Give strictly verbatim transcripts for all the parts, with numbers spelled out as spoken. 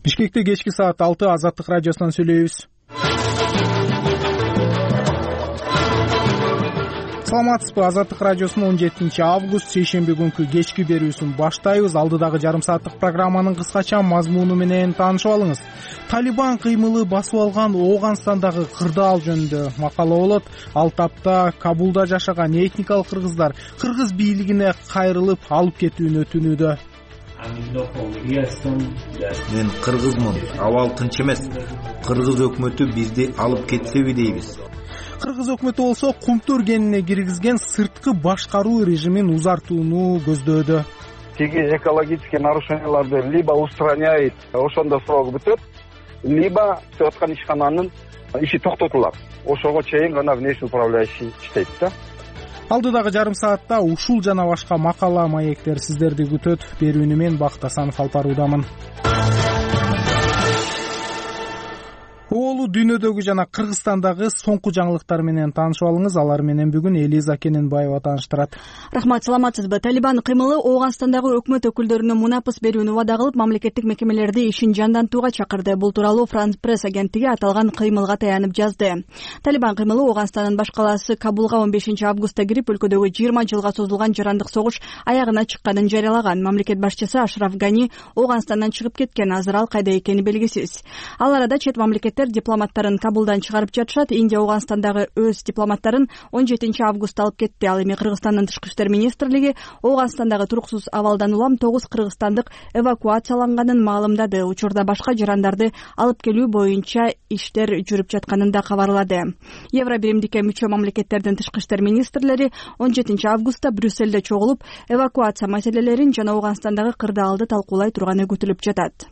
Бишкекте кечки саат алты Азаттык радиосунан сүйлөйбүз. Саламатсызбы? Азаттык радиосунун он жетинчи август шейшемби күнкү кечки берүүсүн баштайбыз. Алдыдагы жарым сааттык программанын кыскача мазмуну менен таанышып алыңыз. Талибан кыймылы басып алган Ооганстандагы кырдаал жөнүндө макала болот. Ал тапта Кабулда жашаган этникалык кыргыздар кыргыз бийлигине кайрылып алып кетүүнү өтүнүүдө. Мен кыргызмын, абал тынч эмес. Кыргыз өкмөтү бизди алып кетсеби дейбиз. Кыргыз өкмөтү болсо Кумтур кенине киргизген сырткы башкаруу режимин узартууну көздөөдө. Тиги экологические нарушенияларды либо устраняет, ошондо срок бүтөт, либо иштеп аткан ишкананын иши токтотулат. Ошого чейин гана внешний управляющий иштейт да. Алдыдагы жарым саатта ушул жана башка макала маектер сиздерди күтөт. Берүүнү мен Бакыт Асанов алып баруудамын. Оолу дүйнөдөгү жана Кыргызстандагы соңку жаңылыктар менен таанышып алыңыз. Алар менен бүгүн Элиза Кененбаева тааныштырат. Рахмат, саламатсызбы? Талибан кыймылы Ооганстандагы өкмөт өкүлдөрүнө мунапыс берүүнү убада кылып, мамлекеттик мекемелерди ишин жандантууга чакырды. Бул тууралуу Франс пресс агенттиги аталган кыймылга таянып жазды. Талибан кыймылы Ооганстандын баш калаасы Кабулга он бешинчи августта кирип, өлкөдөгү жыйырма жылга созулган жарандык согуш аягына чыкканын жарыялаган. Мамлекет башчысы Ашраф Гани Ооганстандан чыгып кеткен, азыр ал кайда экени белгисиз. Ал арада чет мамлекеттер дипломаттарын Кабулдан чыгарып жатышат. Индия Ооганстандагы өз дипломаттарын он жетинчи августта алып кетти. Ал эми Кыргызстандын тышкы иштер министрлиги Ооганстандагы туруксуз абалдан улам тогуз кыргызстандык эвакуацияланганын маалымдады. Учурда башка жарандарды алып келүү боюнча иштер жүрүп жатканын да кабарлады. Евро биримдикке мүчө мамлекеттердин тышкы иштер министрлери он жетинчи августта Брюссельде чогулуп, эвакуация маселелерин жана Ооганстандагы кырдаалды талкуулай турганы күтүлүп жатат.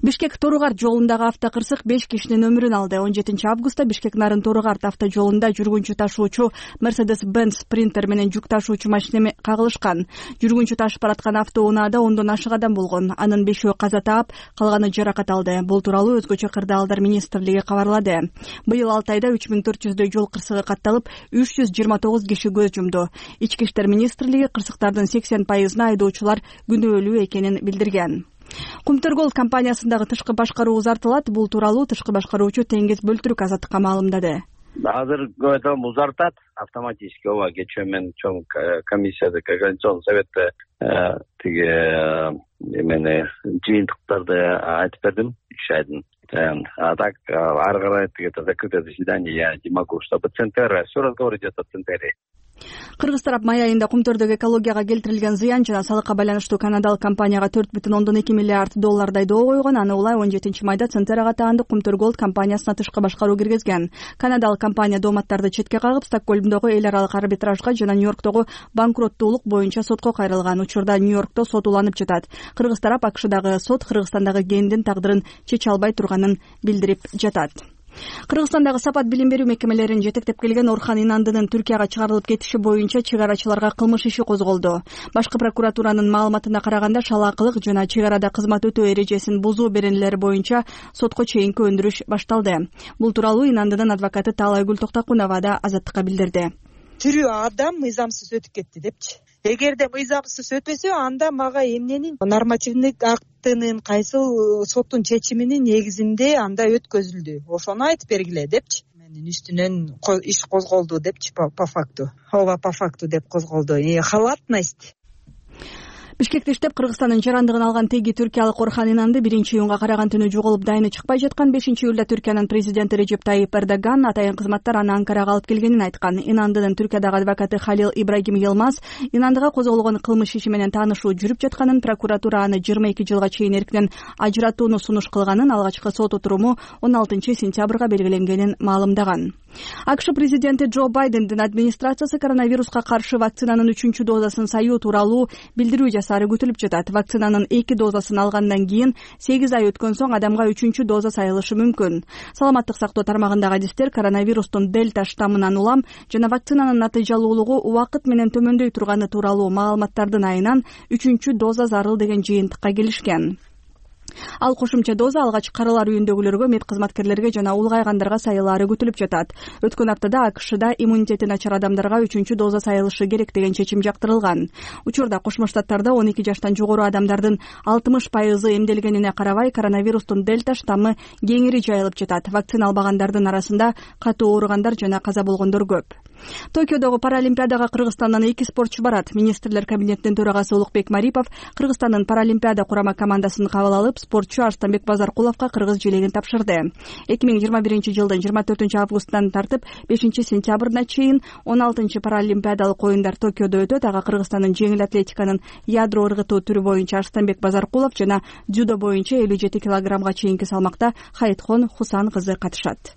Бишкек-Торугарт жолундагы автокырсык беш кишинин өмүрүн алды. он жетинчи августта Бишкек-Нарын-Торугарт автожолунда жүргүнчү ташуучу Mercedes-Benz Sprinter менен жүк ташуучу машина кагылышкан. Жүргүнчү ташып бараткан автоунаада ондон ашык адам болгон. Анын бешөө каза таап, калганы жаракат алды. Бул тууралуу өзгөчө кырдаалдар министрлиги кабарлады. Быйыл алты айда үч миң төрт жүздөй жол кырсыгы катталып, үч жүз жыйырма тогуз киши көз жумду. Ички иштер министрлиги кырсыктардын сексен пайызына айдоочулар күнөөлүү экенин билдирген. Кумтөр компаниясындагы тышкы башкаруу узартылат. Бул тууралуу тышкы башкаруучу Теңиз Бөлтүрүк Азаттыкка маалымдады. Азыр көйдөн узартат автоматически ооба кечээ мен чоң комиссияда координационный советте тиги эмени жыйынтыктарды айтып бердим үч айдын. А так ары карай тиги закрытое заседание я не могу, чтобы центр все разговор идет о центре. Кыргыз тарап май айында Кумтөрдөгү экологияга келтирилген зыян жана салыкка байланыштуу канадалык компанияга төрт бүтүн ондон эки миллиард доллардай доо койгон. Аны улай он жетинчи майда Центерага таандык Кумтөр Голд компаниясына тышкы башкаруу киргизген. Канадалык компания дооматтарды четке кагып, Стокгольмдогу эл аралык арбитражга жана Нью-Йорктогу банкроттуулук боюнча сотко кайрылган. Учурда Нью-Йоркто сот уланып жатат. Кыргыз тарап АКШдагы сот Кыргызстандагы кендин тагдырын чече албай турганын билдирип жатат. Кыргызстандагы сапат билим берүү мекемелерин жетектеп келген Орхан Инандынын Түркияга чыгарылып кетиши боюнча чек арачыларга кылмыш иши козголду. Башкы прокуратуранын маалыматына караганда, шалаакылык жана чек арада кызмат өтөө эрежесин бузуу беренелери боюнча сотко чейинки өндүрүш башталды. Бул тууралуу Инандынын адвокаты Таалайгүл Токтокунова да Азаттыкка билдирди. Тирүү адам мыйзамсыз өтүп кетти депчи. Эгерде мыйзамсыз өтпөсө, анда мага эмненин нормативдик актынын кайсыл соттун чечиминин негизинде анда өткөзүлдү, ошону айтып бергиле депчи. Менин үстүнөн иш козголду депчи по факту. Ооба, по факту деп козголду. Халатность. Бишкекте иштеп Кыргызстандын жарандыгын алган теги түркиялык Орхан Инанды биринчи июнга караган түнү жоголуп, дайыны чыкпай жаткан. бешинчи июлда Түркиянын президенти Режеп Тайип Эрдоган атайын кызматтар аны Анкарага алып келгенин айткан. Инандынын Түркиядагы адвокаты Халил Ибрагим Йылмаз Инандыга козголгон кылмыш иши менен таанышуу жүрүп жатканын, прокуратура аны жыйырма эки жылга чейин эркинен ажыратууну сунуш кылганын, алгачкы сот отуруму он алтынчы сентябрга белгиленгенин маалымдаган. АКШ президенти Джо Байдендин администрациясы коронавируска каршы вакцинанын үчүнчү дозасын саюу тууралуу билдирүү жасаары күтүлүп жатат. Вакцинанын эки дозасын алгандан кийин сегиз ай өткөн соң адамга үчүнчү доза сайылышы мүмкүн. Саламаттык сактоо тармагындагы адистер коронавирустун дельта штаммынан улам жана вакцинанын натыйжалуулугу убакыт менен төмөндөй турганы тууралуу маалыматтардын айынан үчүнчү доза зарыл деген жыйынтыкка келишкен. Ал кошумча доза алгач каралар үйүндөгүлөргө, мед кызматкерлерге жана улгайгандарга сайылаары күтүлүп жатат. Өткөн аптада АКШда иммунитети начар адамдарга үчүнчү доза сайылышы керек деген чечим жактырылган. Учурда Кошмо Штаттарда он эки жаштан жогору адамдардын алтымыш пайызы эмделгенине карабай, коронавирустун дельта штаммы кеңири жайылып жатат. Вакцина албагандардын арасында катуу ооругандар жана каза болгондор көп. Токиодогу Паралимпиадага Кыргызстандан эки спортчу барат. Министрлер кабинетинин төрагасы Улукбек Марипов Кыргызстандын Паралимпиада курама командасын кабыл алып, спортчу Арстанбек Базаркуловго кыргыз желегин тапшырды. эки миң жыйырма биринчи жылдын жыйырма төртүнчү августтан тартып бешинчи сентябрына чейин он алтынчы Паралимпиадалык оюндар Токиодо өтөт. Ага Кыргызстандын жеңил атлетиканын ядро ыргытуу түрү боюнча Арстанбек Базаркулов жана дзюдо боюнча элүү жети килограммга чейинки салмакта Хайтхон Хусан кызы катышат.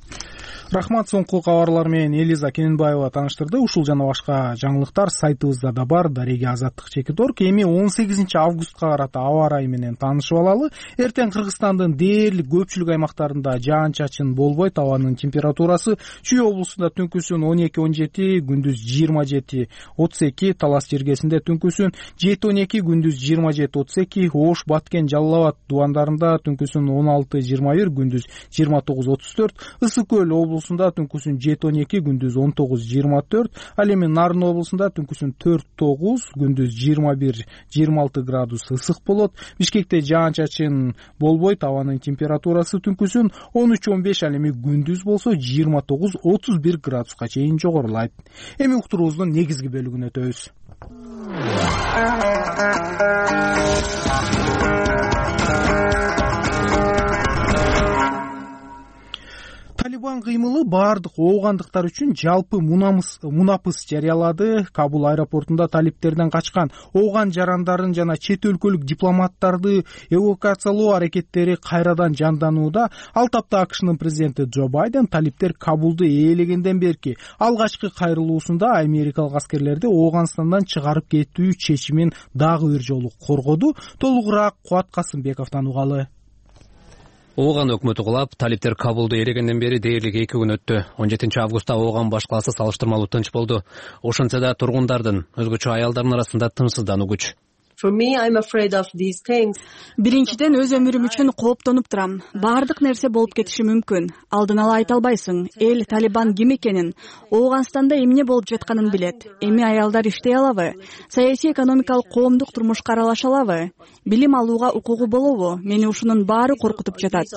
Рахмат, соңку кабарлар менен Элиза Кененбаева тааныштырды. Ушул жана башка жаңылыктар сайтыбызда да бар. Дареге Азаттык чекит орг. Эми он сегизинчи августка карата аба ырайы менен таанышып алалы. Эртең Кыргызстандын дээрлик көпчүлүк аймактарында жаан-чачын болбойт. Абанын температурасы Чүй облусунда түнкүсүн он эки он жети, күндүз жыйырма жети отуз эки, Талас жергесинде түнкүсүн жети он эки, күндүз жыйырма жети отуз эки, Ош, Баткен, Жалал Абад дубандарында түнкүсүн он алты жыйырма бир, күндүз жыйырма тогуз отуз төрт, Ысык көл облусунда түнкүсүн жети он эки, күндүз он тогуз жыйырма төрт, ал эми Нарын облусунда түнкүсүн төрт тогуз, күндүз жыйырма бир жыйырма алты градус ысык болот. Бишкекте жаан-чачын болбойт. Абанын температурасы түнкүсүн он үч он беш, ал эми күндүз болсо жыйырма тогуз отуз бир градуска чейин жогорулайт. Эми уктуруубуздун негизги бөлүгүнө өтөбүз. Талибан кыймылы баардык оогандыктар үчүн жалпы мунапыс жарыялады. Кабул аэропортунда талиптерден качкан ооган жарандарын жана чет өлкөлүк дипломаттарды эвакуациялоо аракеттери кайрадан жанданууда. Ал тапта АКШнын президенти Джо Байден талиптер Кабулду ээлегенден берки алгачкы кайрылуусунда америкалык аскерлерди Ооганстандан чыгарып кетүү чечимин дагы бир жолу коргоду. Толугураак Кубат Касымбековдон угалы. Ооган өкмөтү кулап, талиптер Кабулду ээлегенден бери дээрлик эки күн өттү. он жетинчи августта Ооган башкаласы салыштырмалуу тынч болду. Ошентсе да тургундардын, өзгөчө аялдардын арасында тынчсыздануу күч. Биринчиден, өз өмүрүм үчүн кооптонуп турам. Баардык нерсе болуп кетиши мүмкүн. Алдын ала айта албайсың. Эл Талибан ким экенин, Ооганстанда эмне болуп жатканын билет. Эми аялдар иштей алабы? Саясий экономикалык коомдук турмушка аралаша алабы? Билим алууга укугу болобу? Мени ушунун баары коркутуп жатат.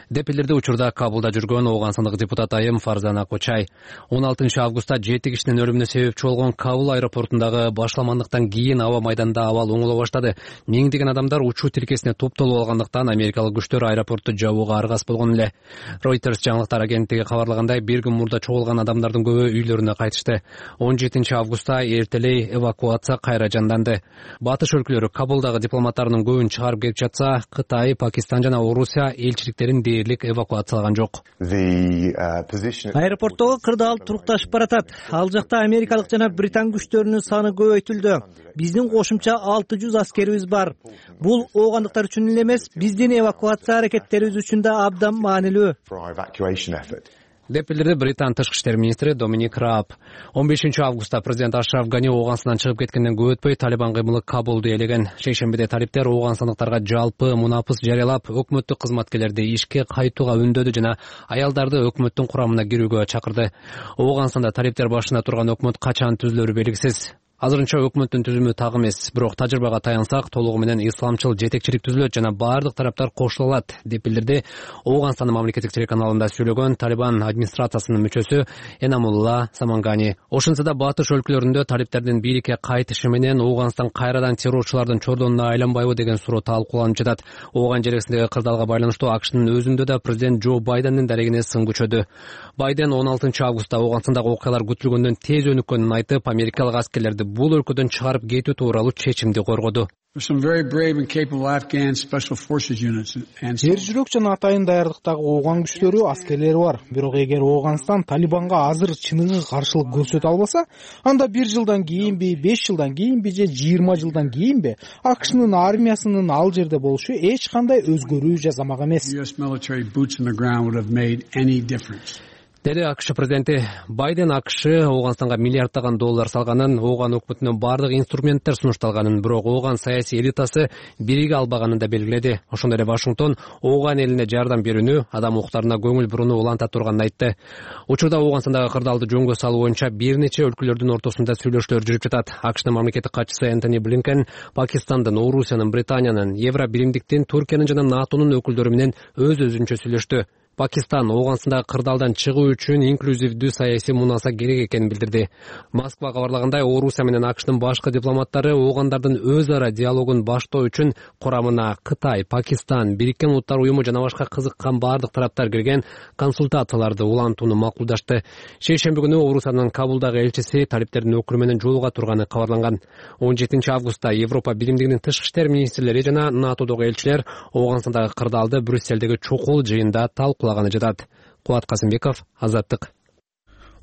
Деп билдирди учурда Кабулда жүргөн Ооганстандык депутат айым Фарзана Кочай. он алтынчы августта жети кишинин өлүмүнө себепчи болгон Кабул аэропортундагы башлама кийин аба майданда абал оңоло баштады. Миңдеген адамдар учуу тилкесине топтолуп алгандыктан америкалык күчтөр аэропортту жабууга аргас болгон эле. Reuters жаңылыктар агенттиги кабарлагандай, бир күн мурда чогулган адамдардын көбү үйлөрүнө кайтышты. он жетинчи августта эртелей эвакуация кайра жанданды. Батыш өлкөлөрү Кабулдагы дипломаттарынын көбүн чыгарып кетип жатса, Кытай, Пакистан жана Орусия элчиликтерин дээрлик эвакуациялаган жок. Аэропорттогу кырдаал турукташып баратат. Ал жакта америкалык жана британ күчтөрүнүн саны көбөйтүлдү. Биздин кошумча алты жүз аскерибиз бар. Бул оогандыктар үчүн эле эмес, биздин эвакуация аракеттерибиз үчүн да абдан маанилүү. Деп билдирди Британ тышкы иштер министри Доминик Рааб. он бешинчи августта президент Ашраф Гани Ооганстандан чыгып кеткенден көп өтпөй Талибан кыймылы Кабулду ээлеген. Шейшембиде талиптер ооганстандыктарга жалпы мунапыс жарыялап, өкмөттүк кызматкерлерди ишке кайтууга үндөдү жана аялдарды өкмөттүн курамына кирүүгө чакырды. Ооганстанда талиптер башында турган өкмөт качан түзүлөрү белгисиз. Азырынча өкмөттүн түзүмү так эмес, бирок тажрыйбага таянсак, толугу менен исламчыл жетекчилик түзүлөт жана баардык тараптар кошулуп алат, деп билдирди Ооганстандын мамлекеттик телеканалында сүйлөгөн Талибан администрациясынын мүчөсү Энамулла Самангани. Ошентсе да батыш өлкөлөрүндө талиптердин бийикке кайтышы менен Ооганстан кайрадан террорчулардын чордонуна айланбайбы деген суроо талкууланып жатат. Ооган жересиндеги кырдаалга байланыштуу АКШнын өзүндө да президент Джо Байдендин дарегине сын күчөдү. Байден он алтынчы августта Ооганстандагы окуялар күтүлгөндөн тез өнүккөнүн айтып, америкалык аскерлерди бул өлкөдөн чыгарып кетүү тууралуу чечимди коргоду. Эр жүрөк жана атайын даярдыктагы ооган күчтөрү, аскерлери бар. Бирок эгер Ооганстан Талибанга азыр чыныгы каршылык көрсөтө албаса, анда бир жылдан кийинби, беш жылдан кийинби же жыйырма жылдан кийинби АКШнын армиясынын ал жерде болушу эч кандай өзгөрүү жасамак эмес. деди АКШ президенти Байден. АКШ Ооганстанга миллиарддаган доллар салганын, Ооган өкмөтүнө бардык инструменттер сунушталганын, бирок Ооган саясий элитасы бириге албаганын да белгиледи. Ошондой эле Вашингтон Ооган элине жардам берүүнү, адам укуктарына көңүл бурууну уланта турганын айтты. Учурда Ооганстандагы кырдаалды жөнгө салуу боюнча бир нече өлкөлөрдүн ортосунда сүйлөшүүлөр жүрүп жатат. АКШнын мамлекеттик катчысы Энтони Блинкен Пакистандын, Орусиянын, Британиянын, Евро биримдиктин, Түркиянын жана НАТОнун өкүлдөрү менен өз-өзүнчө сүйлөштү. Пакистан Ооганстандагы кырдаалдан чыгуу үчүн инклюзивдүү саясий мунаса керек экенин билдирди. Москва кабарлагандай, Орусия менен АКШнын башкы дипломаттары оогандардын өз ара диалогун баштоо үчүн курамына Кытай, Пакистан, Бириккен Улуттар уюму жана башка кызыккан бардык тараптар кирген консультацияларды улантууну макулдашты. Шейшемби күнү Орусиянын Кабулдагы элчиси талиптердин өкүлү менен жолуга турганы кабарланган. он жетинчи августта Европа биримдигинин тышкы иштер министрлери жана НАТОдогу элчилер Ооганстандагы кырдаалды Брюссельдеги чукул жыйында талкуулаганы жатат. Кубат Касымбеков, Азаттык.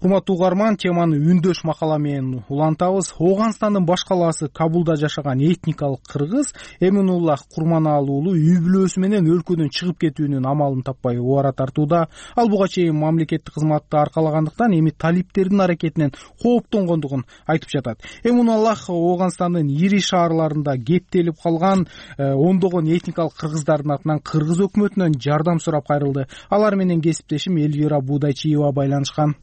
Урматтуу угарман, теманы үндөш макала менен улантабыз. Ооганстандын баш калаасы Кабулда жашаган этникалык кыргыз Эминуллах Курманаалы уулу үй бүлөсү менен өлкөдөн чыгып кетүүнүн амалын таппай убара тартууда. Ал буга чейин мамлекеттик кызматты аркалагандыктан эми талиптердин аракетинен кооптонгондугун айтып жатат. Эминуллах Ооганстандын ири шаарларында кептелип калган ондогон этникалык кыргыздардын атынан кыргыз өкмөтүнөн жардам сурап кайрылды. Алар менен кесиптешим Элвира Будайчиева байланышкан.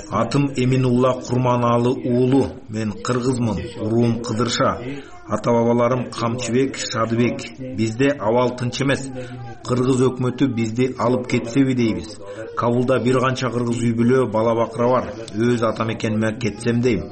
Атым Эминулла Курманаалы уулу. Мен кыргызмын. Уруум Кыдырша. Ата бабаларым Камчыбек, Шадыбек. Бизде абал тынч эмес. Кыргыз өкмөтү бизди алып кетсеби дейбиз. Кабулда бир канча кыргыз үй бүлө, бала бакыра бар. Өз ата мекениме кетсем дейм.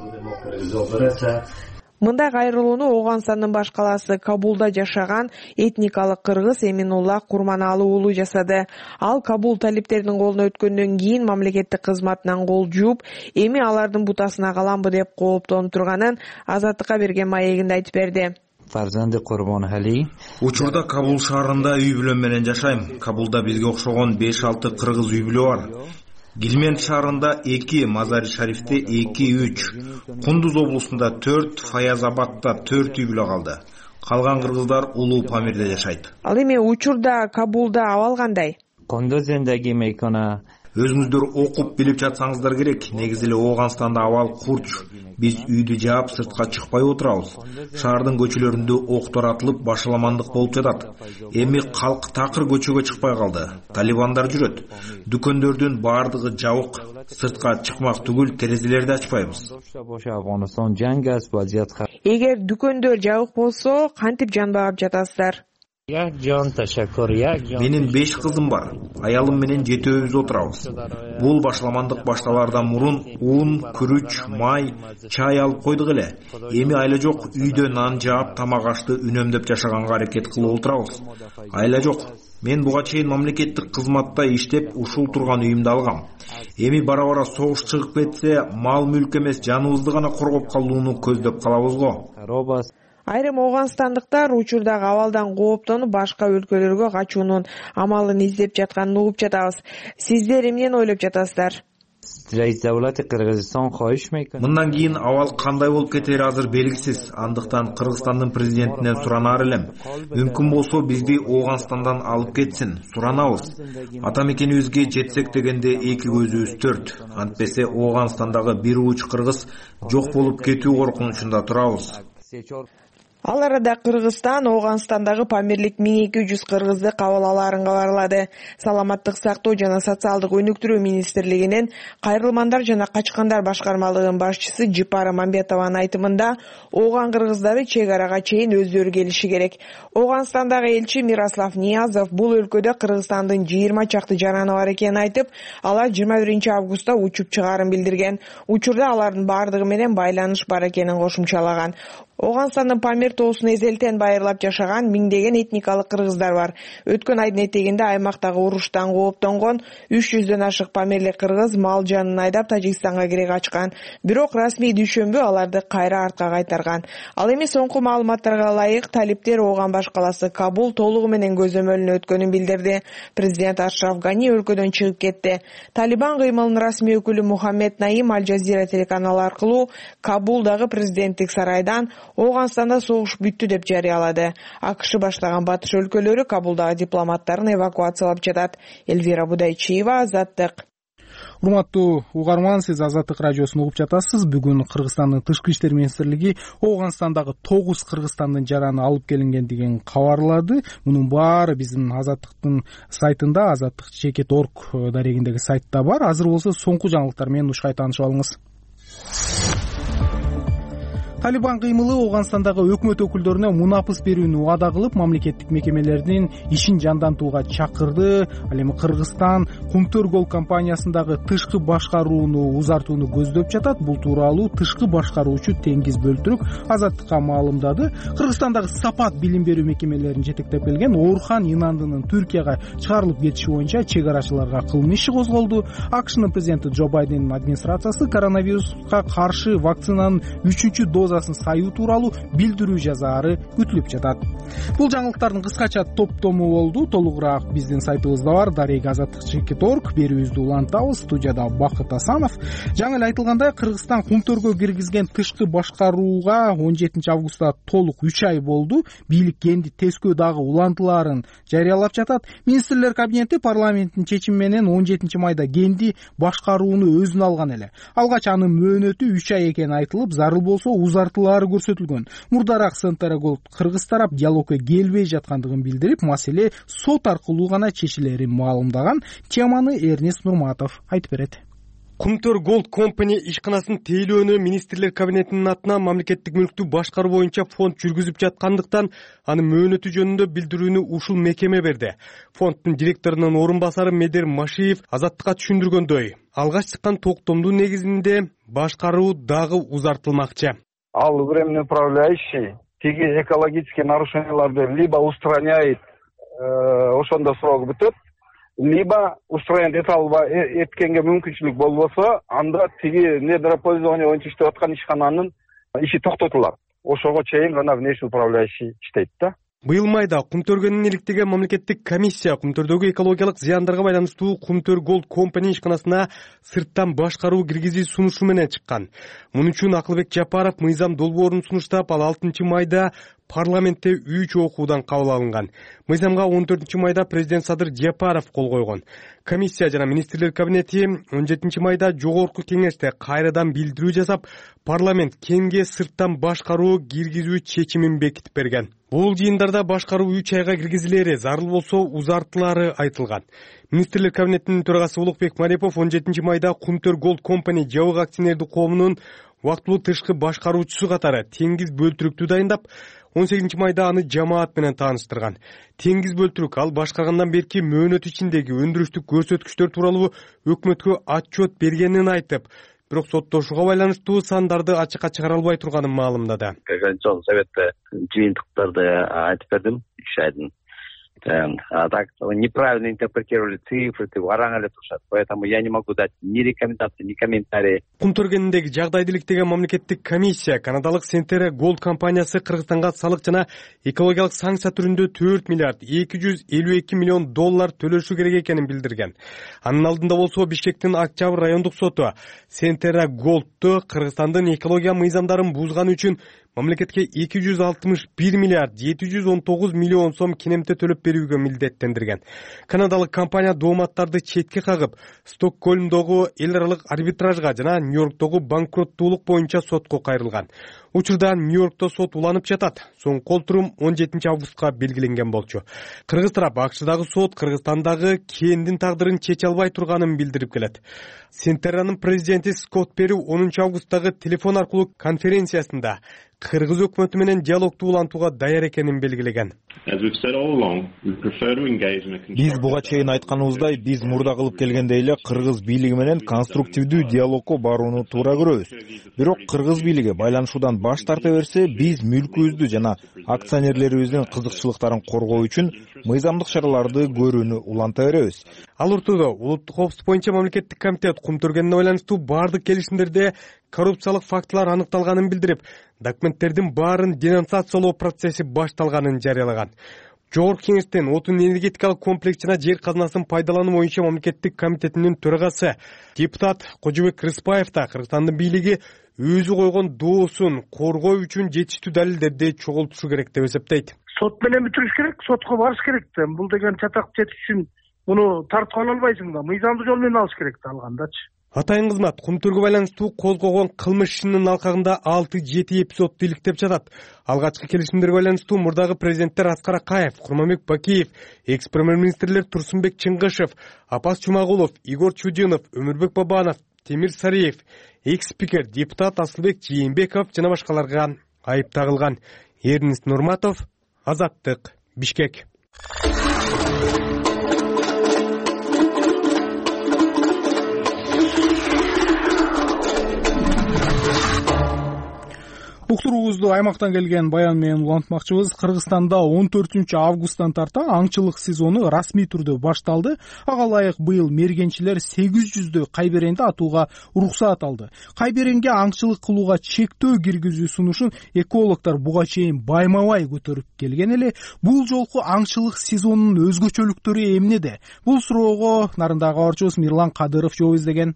Мындай кайрылууну Ооганстандын баш калаасы Кабулда жашаган этникалык кыргыз Эминулла Курманаалы уулу жасады. Ал Кабул талиптердин колуна өткөндөн кийин мамлекеттик кызматынан кол жууп, эми алардын бутасына каламбы деп кооптонуп турганын Азаттыкка берген маегинде айтып берди. Фарзанди Курбонали. Учурда Кабул шаарында үй бүлөм менен жашайм. Кабулда бизге окшогон беш алты кыргыз үй бүлө бар. Гилмент шаарында эки, Мазари Шарифте эки үч, Кундуз облусунда төрт, Фаязабадта төрт үй бүлө калды. Калган кыргыздар Улуу Памирде жашайт. Ал эми учурда Кабулда абал кандай? Кондозендеги мейкона. Өзүңүздөр окуп билип жатсаңыздар керек. Негизи эле Ооганстанда абал курч. Биз үйдү жаап сыртка чыкпай отурабыз. Шаардын көчөлөрүндө октор атылып, башаламандык болуп жатат. Эми калк такыр көчөгө чыкпай калды. Талибандар жүрөт. Дүкөндөрдүн баардыгы жабык. Сыртка чыкмак түгүл, терезелерди ачпайбыз. Эгер дүкөндөр жабык болсо, кантип жанбап жатасыздар? Менин беш кызым бар. Аялым менен жетөөбүз отурабыз. Бул башаламандык башталаардан мурун ун, күрүч, май, чай алып койдук эле. Эми айла жок, үйдө нан жаап, тамак ашты үнөмдөп жашаганга аракет кылып отурабыз. Айла жок. Мен буга чейин мамлекеттик кызматта иштеп, ушул турган үйүмдү алгам. Эми бара-бара согуш чыгып кетсе, мал мүлк эмес, жаныбызды гана коргоп калууну көздөп калабыз го. Айрым ооганстандыктар учурдагы абалдан кооптонуп башка өлкөлөргө качуунун амалын издеп жатканын угуп жатабыз. Сиздер эмнени ойлоп жатасыздар? Мындан кийин абал кандай болуп кетери азыр белгисиз. Андыктан Кыргызстандын президентинен суранаар элем. Мүмкүн болсо бизди Ооганстандан алып кетсин, суранабыз. Ата мекенибизге жетсек дегенде эки көзүбүз төрт. Антпесе Ооганстандагы бир уч кыргыз жок болуп кетүү коркунучунда турабыз. Ал арада Кыргызстан Ооганстандагы Памирлик миң эки жүз кыргызды кабыл алаарын кабарлады. Саламаттык сактоо жана социалдык өнүктүрүү министрлигинин кайрылмандар жана качкандар башкармалыгынын башчысы Жипара Мамбетованын айтымында, Ооган кыргыздары чек арага чейин өздөрү келиши керек. Ооганстандагы элчи Мирослав Ниязов бул өлкөдө Кыргызстандын жыйырма чакты жараны бар экенин айтып, алар жыйырма биринчи августта учуп чыгаарын билдирген. Учурда алардын бардыгы менен байланыш бар экенин кошумчалаган. Ооганстандын Памир тоосун эзелтен байырлап жашаган миңдеген этникалык кыргыздар бар. Өткөн айдын этегинде аймактагы уруштан кооптонгон үч жүздөн ашык памирлик кыргыз мал жанын айдап Тажикстанга кире качкан. Бирок расмий дүйшөмбү аларды кайра артка кайтарган. Ал эми соңку маалыматтарга ылайык талиптер Ооган баш калаасы Кабул толугу менен көзөмөлүнө өткөнүн билдирди. Президент Ашраф Гани өлкөдөн чыгып кетти. Талибан кыймылынын расмий өкүлү Мухаммед Наим Аль Жазира телеканалы аркылуу Кабулдагы президенттик сарайдан Ооганстанда согуш бүттү деп жарыялады. АКШ баштаган батыш өлкөлөрү Кабулдагы дипломаттарын эвакуациялап жатат. Эльвира Будайчиева, Азаттык. Урматтуу угарман, сиз Азаттык радиосун угуп жатасыз. Бүгүн Кыргызстандын Тышкы иштер министрлиги Ооганстандагы тогуз Кыргызстандын жараны алып келинген деген кабарлады. Мунун баары биздин Азаттыктын сайтында, азаттык чекит орг дарегиндеги сайтта бар. Азыр болсо соңку жаңылыктар менен ушкай таанышып алыңыз. Талибан кыймылы Ооганстандагы өкмөт өкүлдөрүнө мунапыс берүүнү убада кылып, мамлекеттик мекемелердин ишин жандантууга чакырды. Ал эми Кыргызстан Кумтөр-Гол компаниясындагы тышкы башкарууну узартууну көздөп жатат. Бул тууралуу тышкы башкаруучу Теңиз Бөлтүрүк Азаттыкка маалымдады. Кыргызстандагы Сапат билим берүү мекемелерин жетектеп келген Орхан Инандынын Түркияга чыгарылып кетиши боюнча чек арачыларга кылмыш иши козголду. АКШнын президенти Джо Байдендин администрациясы коронавируска каршы вакцинанын үчүнчү доза саюу тууралуу билдирүү жазаары күтүлүп жатат. Бул жаңылыктардын кыскача топтому болду. Толугураак биздин сайтыбызда бар. Дареги азаттык чекит орг. Берүүбүздү улантабыз. Студияда Бакыт Асанов. Жаңы эле айтылгандай, Кыргызстан Кумтөргө киргизген тышкы башкарууга он жетинчи августта толук үч ай болду. Бийлик кенди тескөө дагы улантууларын жарыялап жатат. Министрлер кабинети парламенттин чечими менен он жетинчи майда кенди башкарууну өзүнө алган эле. Алгач анын мөөнөтү үч ай экени айтылып, зарыл болсо узартылары көрсөтүлгөн. Мурдараак Сентера Голд кыргыз тарап диалогко келбей жаткандыгын билдирип, маселе сот аркылуу гана чечилерин маалымдаган. Теманы Эрнест Нурматов айтып берет. Кумтөр-Голд компания ишканасынын тейлөөнү министрлер кабинетинин атынан мамлекеттик мүлктү башкаруу боюнча фонд жүргүзүп жаткандыктан анын мөөнөтү жөнүндө билдирүүнү ушул мекеме берди. Фонддун директорунун орун басары Медер Машиев Азаттыкка түшүндүргөндөй, алгач чыккан токтомдун негизинде башкаруу дагы узартылмакчы. Ал временный управляющий тиги экологические нарушенияларды либо устраняет, ошондо срок бүтөт, либо устранять эте албай эткенге мүмкүнчүлүк болбосо, анда тиги недропользование боюнча иштеп аткан ишкананын иши токтотулат. Ошого чейин гана внешний управляющий иштейт да. Быйыл майда Кумтөргөнүн иликтеген мамлекеттик комиссия Кумтөрдөгү экологиялык зыяндарга байланыштуу Кумтөр-Голд компания ишканасына сырттан башкаруу киргизүү сунушу менен чыккан. Муну үчүн Акылбек Жапаров мыйзам долбоорун сунуштап, ал алтынчы майда парламентте үч окуудан кабыл алынган. Мыйзамга он төртүнчү майда президент Садыр Жапаров кол койгон. Комиссия жана министрлер кабинети он жетинчи майда жогорку кеңеште кайрадан билдирүү жасап, парламент кенге сырттан башкаруу киргизүү чечимин бекитип берген. Бул жыйындарда башкаруу үч айга киргизилери, зарыл болсо узартылары айтылган. Министрлер кабинетинин төрагасы Улукбек Марипов он жетинчи майда Кумтөр-Голд компания жабык акционердик коомунун убактылуу тышкы башкаруучусу катары Теңиз Бөлтүрүктү дайындап, он сегизинчи майда аны жамаат менен тааныштырган. Теңиз Бөлтүрүк ал башкаргандан берки мөөнөт ичиндеги өндүрүштүк көрсөткүчтөр тууралуу өкмөткө отчет бергенин айтып, бирок соттошууга байланыштуу сандарды ачыкка чыгара албай турганын маалымдады. Координационный советте жыйынтыктарды айтып бердим, үч айдын. А так неправильно интерпретировали цифры, араң эле турушат. Поэтому я не могу дать ни рекомендации, ни комментарии. Кумтөргөндөгү жагдайды иликтеген мамлекеттик комиссия канадалык Сентера Голд компаниясы Кыргызстанга салык жана экологиялык санкция түрүндө төрт миллиард эки жүз элүү эки миллион доллар төлөшү керек экенин билдирген. Анын алдында болсо Бишкектин Октябрь райондук соту Сентера Голдту Кыргызстандын экология мыйзамдарын бузганы үчүн мамлекетке эки жүз алтымыш бир миллиард жети жүз он тогуз миллион сом кинемте төлөп берүүгө милдеттендирген. Канадалык компания дооматтарды четке кагып, Стокгольмдогу эл аралык арбитражга жана Нью-Йорктогу банкроттуулук боюнча сотко кайрылган. Учурда Нью-Йоркто сот уланып жатат. Соңку отурум он жетинчи августка белгиленген болчу. Кыргыз тарап АКШдагы сот Кыргызстандагы кендин тагдырын чече албай турганын билдирип келет. Сентеранын президенти Скотт Перри онунчу августтагы телефон аркылуу конференциясында Кыргыз өкмөтү менен диалогду улантууга даяр экенин белгилеген. Биз буга чейин айтканыбыздай, биз мурда кылып келгендей эле кыргыз бийлиги менен конструктивдүү диалогко барууну туура көрөбүз. Бирок кыргыз бийлиги байланышуудан баш тарта берсе, биз мүлкүбүздү жана акционерлерибиздин кызыкчылыктарын коргоо үчүн мыйзамдык чараларды көрүүнү уланта беребиз. Ал ортодо улуттук коопсуздук боюнча мамлекеттик комитет Кумтөргөнүнө байланыштуу бардык келишимдерде коррупциялык фактылар аныкталганын билдирип, документтердин баарын денонсациялоо процесси башталганын жарыялаган. Жогорку кеңештин отун энергетикалык комплекс жана жер казынасын пайдалануу боюнча мамлекеттик комитетинин төрагасы депутат Кожобек Рыспаев да Кыргызстандын бийлиги өзү койгон доосун коргоо үчүн жетиштүү далилдерди чогултушу керек деп эсептейт. Сот менен бүтүрүш керек, сотко барыш керек да. Бул деген чатак жетиш үчүн муну тартып ала албайсың да, мыйзамдуу жол менен алыш керек да алгандачы. Атайын кызмат Кумтөргө байланыштуу козгогон кылмыш ишинин алкагында алты жети эпизод иликтеп жатат. Алгачкы келишимдерге байланыштуу мурдагы президенттер Аскар Акаев, Курманбек Бакиев, экс-премьер-министрлер Турсунбек Чыңгышев, Апас Жумагулов, Игорь Чудинов, Өмүрбек Бабанов, Темир Сариев, экс-спикер депутат Асылбек Жээнбеков жана башкаларга айып тагылган. Эрнест Нурматов, Азаттык, Бишкек. Уктуруубузду аймактан келген баян менен улантмакчыбыз. Кыргызстанда он төртүнчү августтан тарта аңчылык сезону расмий түрдө башталды. Ага ылайык быйыл мергенчилер сегиз жүздөй кайберенди атууга уруксаат алды. Кайберенге аңчылык кылууга чектөө киргизүү сунушун экологдор буга чейин байма-бай көтөрүп келген эле. Бул жолку аңчылык сезонунун өзгөчөлүктөрү эмнеде? Бул суроого нарындагы кабарчыбыз Мирлан Кадыров жооп издеген.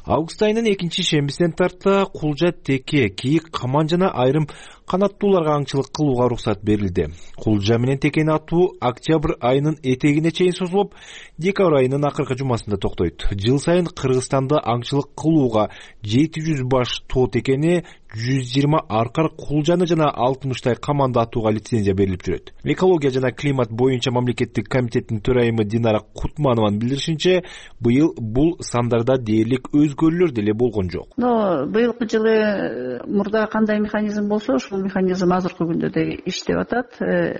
Август айынын экинчи шембисинен тарта кулжа, теке, кийик, каман жана айрым канаттууларга аңчылык кылууга уруксат берилди. Кулжа менен текени атуу октябрь айынын этегине чейин созулуп, декабрь айынын акыркы жумасында токтойт. Жыл сайын Кыргызстанда аңчылык кылууга жети жүз баш тоо текени, жүз жыйырма аркар кулжаны жана алтымыштай каманды атууга лицензия берилип жүрөт. Экология жана климат боюнча мамлекеттик комитеттин төрайымы Динара Кутманованын билдиришинче, быйыл бул сандарда дээрлик өзгөрүүлөр деле болгон жок. Но быйылкы жылы мурда кандай механизм болсо, ушул механизм азыркы күндө да иштеп атат.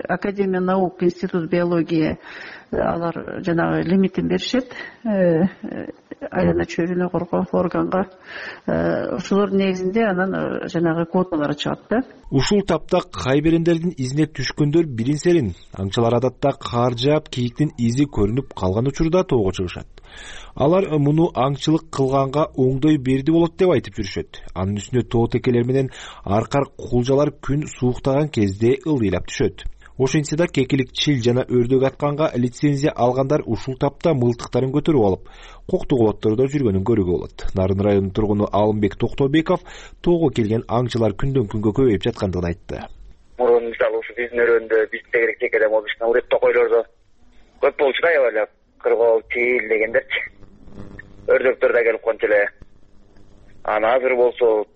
Академия наук, институт биология алар жанагы лимитин беришет. Айлана чөйрөнө коргоо органга. Ошолордун негизинде анан жанагы квоталар чыгат да. Ушул тапта кайберендердин изине түшкөндөр бирин-серин. Аңчылар адатта кар жаап, кийиктин изи көрүнүп калган учурда тоого чыгышат. Алар муну аңчылык кылганга оңдой берди болот деп айтып жүрүшөт. Анын үстүнө тоо текелер менен аркар кулжалар күн сууктаган кезде ылдыйлап түшөт. Ошентсе да кекилик, чил жана өрдөк атканга лицензия алгандар ушул тапта мылтыктарын көтөрүп алып, коктуголоттордо жүргөнүн көрүүгө болот. Нарын районунун тургуну Алымбек Токтобеков тоого келген аңчылар күндөн күнгө көбөйүп жаткандыгын айтты. Мурун мисалы ушу биздин өрөөндө биздин тегерек текеде обычно урет токойлордо көп болчу да, аябай эле кыргоо, чил дегендерчи. Өрдөктөр да келип кончу эле. Ана азыр болсо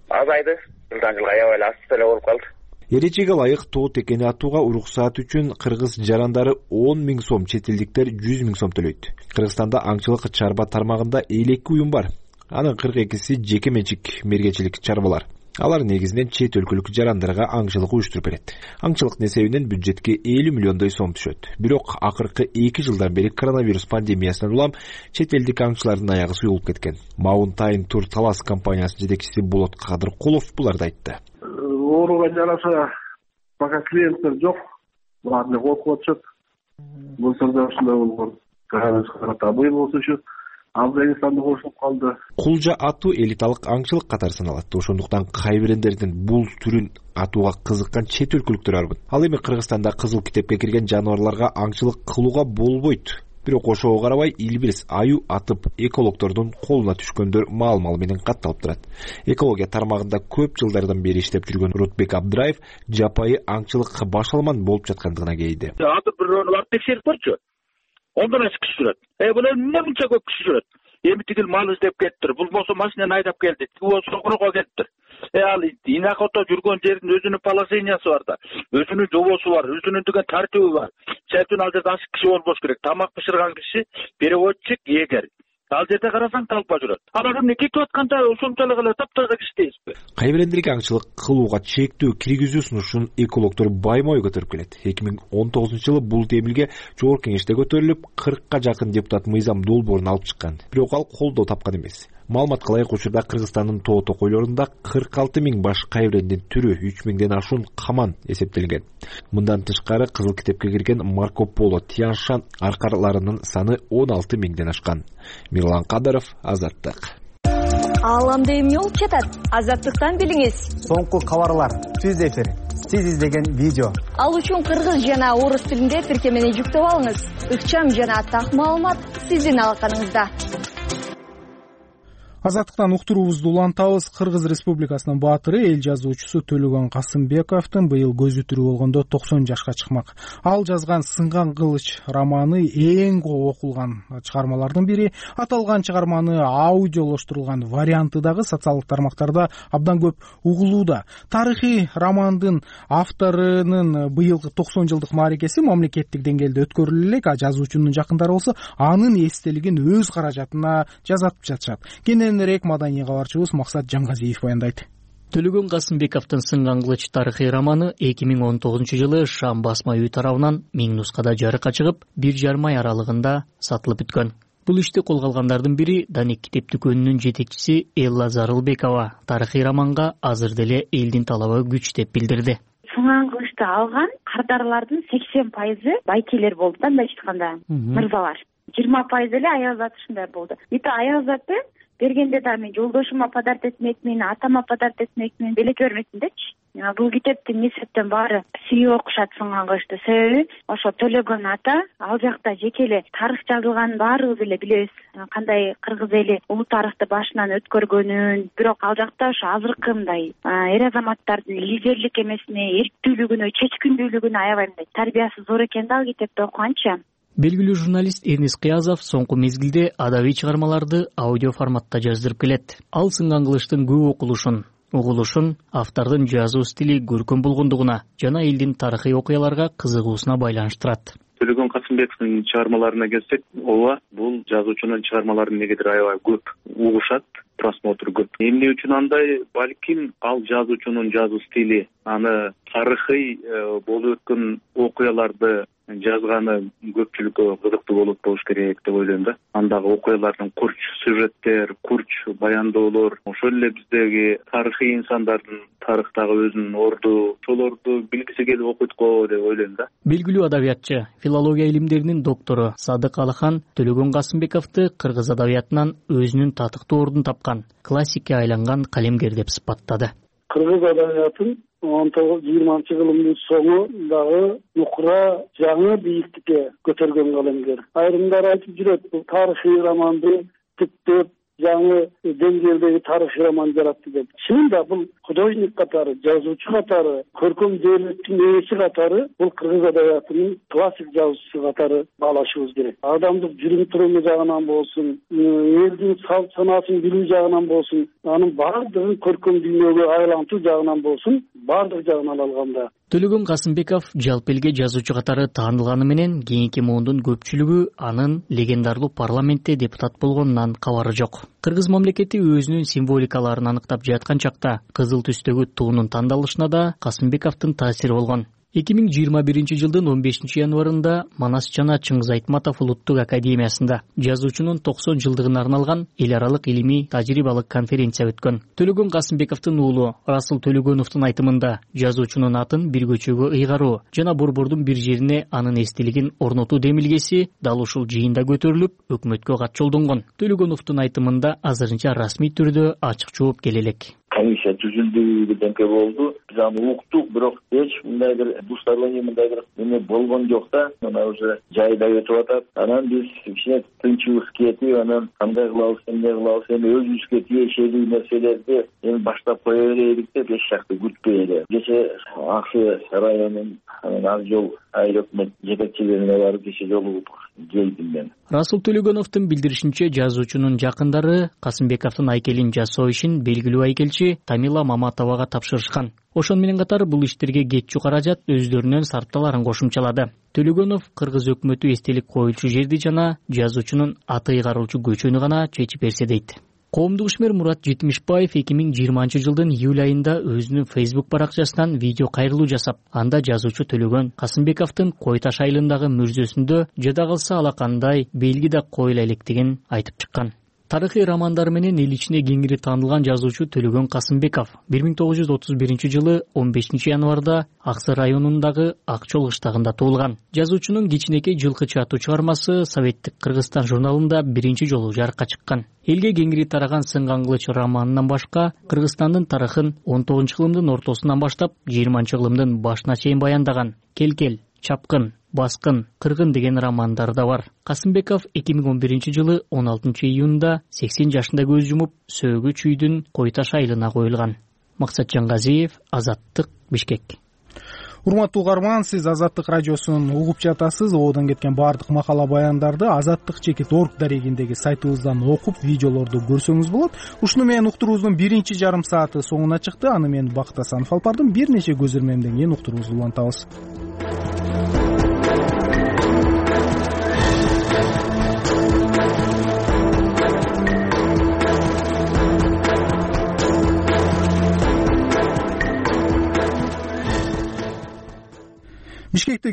азайды, жылдан жылга аябай эле аз эле болуп калды. Эрежеге ылайык тоо текени атууга уруксаат үчүн кыргыз жарандары он миң сом, чет элдиктер жүз миң сом төлөйт. Кыргызстанда аңчылык чарба тармагында элүү эки уюм бар. Анын кырк экиси жеке менчик мергенчилик чарбалар. Алар негизинен чет өлкөлүк жарандарга аңчылык уюштуруп берет. Аңчылык эсебинен бюджетке элүү миллиондой сом түшөт. Бирок акыркы эки жылдан бери коронавирус пандемиясынан улам чет элдик аңчылардын аягы суюлуп кеткен. Mountain Tour Талас компаниясынын жетекчиси Болот Кадыркулов буларды айтты. Ооруга жараша пока клиенттер жок, баары коркуп атышат. Былтырда ушундай болгон. Быйыл болсо ушу Афганистанда кошулуп калды. Кулжа атуу элиталык аңчылык катары саналат. Ошондуктан кайберендердин бул түрүн атууга кызыккан чет өлкөлүктөр бар. Ал эми Кыргызстанда кызыл китепке кирген жаныбарларга аңчылык кылууга болбойт. Бирок ошого карабай Илбирс аю атып экологдордун колуна түшкөндөр маал-мал менен катталып турат. Экология тармагында көп жылдардан бери иштеп жүргөн Рутбек Абдраев жапайы аңчылык башалман болуп жаткандыгына кейди. Атып бирөөнү барып текшерип көрчү. Ондон эч киши жүрөт. Э буну эмне мынча көп киши жүрөт? Эми тигил мал издеп кеттир. Бул болсо машинаны айдап келди. Тигил сокурого кеттир. Э ал инакото жүргөн жердин өзүнүн положениясы бар да. Өзүнүн жобосу бар, өзүнүн деген тартиби бар. Чертин ал жерде ашык киши болбош керек. Тамак бышырган киши, переводчик, эгер. Ал жерде карасаң талпа жүрөт. Алар эмне кетип атканда ошончолук эле таптаза киши дейсизби? Кайберендерге аңчылык кылууга чектөө киргизүү сунушун экологдор байма-бай көтөрүп келет. эки миң он тогузунчу жылы бул демилге жогорку кеңеште көтөрүлүп, кыркка жакын депутат мыйзам долбоорун алып чыккан. Бирок ал колдоо тапкан эмес. Маалыматка ылайык учурда Кыргызстандын тоо токойлорунда кырк алты миң баш кайберендин түрү, үч миңден ашуун каман эсептелген. Мындан тышкары кызыл китепке кирген Марко Поло, Тянь-Шань аркарларынын саны он алты миңден ашкан. Мирлан Кадыров, Азаттык. Ааламда эмне болуп жатат? Азаттыктан билиңиз. Соңку кабарлар, түз эфир, сиз издеген видео. Ал үчүн кыргыз жана орус тилинде тиркемени жүктөп алыңыз. Ыкчам жана так маалымат сиздин алаканыңызда. Азаттыктан уктуруубузду улантабыз. Кыргыз Республикасынын баатыры, эл жазуучусу Төлөгөн Касымбековдун быйыл көзү тирүү болгондо токсон жашка чыкмак. Ал жазган Сынган кылыч романы эң көп окулган чыгармалардын бири. Аталган чыгарманы аудиолоштурулган варианты дагы социалдык тармактарда абдан көп угулууда. Тарыхый романдын авторунун быйылкы токсон жылдык мааракеси мамлекеттик деңгээлде өткөрүлө элек, а жазуучунун жакындары болсо анын эстелигин өз каражатына жазатып жатышат. Кененирээк маданий кабарчыбыз Максат Жангазиев баяндайт. Төлөгөн Касымбековдун Сынган кылыч тарыхый романы эки миң он тогузунчу жылы Шам басма үй тарабынан миң нускада жарыкка чыгып, бир жарым ай аралыгында сатылып бүткөн. Бул ишти колго алгандардын бири Даник китеп дүкөнүнүн жетекчиси Элла Зарылбекова тарыхый романга азыр деле элдин талабы күч деп билдирди. Сынган кылычты алган кардарлардын сексен пайызы байкелер болду да, мындай айтканда, мырзалар. жыйырма пайыз эле аял заты ушундай болду. Эти аял заты бергенде да мен жолдошума подарок этмекмин, атама подарок этмекмин, белек бермекмин депчи. Бул китептин несептен баары сүйүп окушат Сынган кылычты. Себеби ошо Төлөгөн ата ал жакта жеке эле тарых жазылганын баарыбыз эле билебиз. Кандай кыргыз эли улуу тарыхты башынан өткөргөнүн, бирок ал жакта ошо азыркы мындай эр азаматтардын лидерлик эмесине, эрктүүлүгүнө, чечкиндүүлүгүнө аябай мындай тарбиясы зор экен да ал китепти окуганча. Белгилүү журналист Эрнис Кыязов соңку мезгилде адабий чыгармаларды аудио форматта жаздырып келет. Ал Сынган кылычтын көп окулушун, угулушун автордун жазуу стили көркөм болгондугуна жана элдин тарыхый окуяларга кызыгуусуна байланыштырат. Төлөгөн Касымбековдун чыгармаларына келсек, ооба, бул жазуучунун чыгармалары эмнегедир аябай көп угушат, просмотр көп. Эмне үчүн андай? Балким ал жазуучунун жазуу стили, аны тарыхый болуп өткөн окуяларды жазганы көпчүлүккө кызыктуу болот болуш керек деп ойлойм да. Андагы окуялардын курч сюжеттер, курч баяндоолор, ошол эле биздеги тарыхый инсандардын тарыхтагы өзүнүн орду, ошолорду билгиси келип окуйт го деп ойлойм да. Белгилүү адабиятчы, филология илимдеринин доктору Садык Алыхан Төлөгөн Касымбековду кыргыз адабиятынан өзүнүн татыктуу ордун тапкан, классикке айланган калемгер деп сыпаттады. Кыргыз адабиятын он тогуз жыйырманчы кылымдын соңундагы нукура жаңы бийиктикке көтөргөн калемгер. Айрымдар айтып жүрөт, бул тарыхый романды типтеп жаңы деңгээлдеги тарыхый роман жаратты деп. Чынында бул художник катары, жазуучу катары, көркөм дөөлөттүн ээси катары, бул кыргыз адабиятынын классик жазуучусу катары баалашыбыз керек. Адамдык жүрүм-туруму жагынан болсун, элдин салт санаасын билүү жагынан болсун, анын баардыгын көркөм дүйнөгө айлантуу жагынан болсун, баардык жагынан алганда Төлөгөн Касымбеков жалпы элге жазуучу катары таанылганы менен кийинки муундун көпчүлүгү анын легендарлуу парламентте депутат болгонунан кабары жок. Кыргыз мамлекети өзүнүн символикаларын аныктап жаткан чакта кызыл түстөгү туунун тандалышына да Касымбековдун таасири болгон. эки миң жыйырма биринчи жылдын он бешинчи январында Манас жана Чыңгыз Айтматов улуттук академиясында жазуучунун токсон жылдыгына арналган эл аралык илимий тажрыйбалык конференция өткөн. Төлөгөн Касымбековдун уулу Расул Төлөгөновдун айтымында жазуучунун атын бир көчөгө ыйгаруу жана борбордун бир жерине анын эстелигин орнотуу демилгеси дал ушул жыйында көтөрүлүп, өкмөткө кат жолдонгон. Төлөгөновдун айтымында азырынча расмий түрдө ачык жооп келе элек. Комиссия түзүлдү дегенке болду. Биз аны уктук, бирок эч мындай бир двусторонний мындай бир эме болгон жок да. Мына уже жайда өтүп атат. Анан биз кичине тынчыбыз кетип, анан кандай кылабыз, эмне кылабыз, эми өзүбүзгө тиешелүү нерселерди эми баштап кое берелик деп эч жакты күтпөй эле. Кече Аксы районунун анан ак жол айыл өкмөт жетекчилерине барып кече жолугуп келдим мен. Расул Төлөгөновдун билдиришинче, жазуучунун жакындары Касымбековдун айкелин жасоо ишин белгилүү айкелчи Тамила Маматовага тапшырышкан. Ошон менен катар бул иштерге кетчү каражат өздөрүнүн сарпталарын кошумчалады. Төлөгөнов кыргыз өкмөтү эстелик коюлчу жерди жана жазуучунун аты ыйгарылчу көчөнү гана чечип берсе дейт. Коомдук ишмер Мурат Жетимишбаев эки миң жыйырманчы жылдын июль айында өзүнүн Facebook баракчасынан видео кайрылуу жасап, анда жазуучу Төлөгөн Касымбековдун Кой Таш айылындагы мүрзөсүндө жада калса алакандай белги да коюла электигин айтып чыккан. Тарыхый романдары менен эл ичине кеңири таанылган жазуучу Төлөгөн Касымбеков бир миң тогуз жүз отуз биринчи жылы он бешинчи январда Аксы районундагы Ак Чол кыштагында туулган. Жазуучунун кичинекей жылкычы аттуу чыгармасы Советтик Кыргызстан журналында биринчи жолу жарыкка чыккан. Элге кеңири тараган Сынган кылыч романынан башка Кыргызстандын тарыхын он тогузунчу кылымдын ортосунан баштап жыйырманчы кылымдын башына чейин баяндаган Кел-кел, Чапкын, Баскын, Кыргын деген романдар да бар. Касымбеков эки миң он биринчи жылы он алтынчы июнда сексен жашында көз жумуп, сөөгүч үйдүн Кой Таш айылына коюлган. Максат Жангазиев, Азаттык, Бишкек. Урматтуу угарман, сиз Азаттык радиосун угуп жатасыз. Оодон кеткен баардык макала баяндарды азаттык чекит орг дарегиндеги сайтыбыздан окуп, видеолорду көрсөңүз болот. Ушуну менен уктуруубуздун биринчи жарым сааты соңуна чыкты. Аны мен Бакыт Асанов алып бардым. Бир нече көзөрмөмдөн кийин уктуруубузду улантабыз. Бишкекте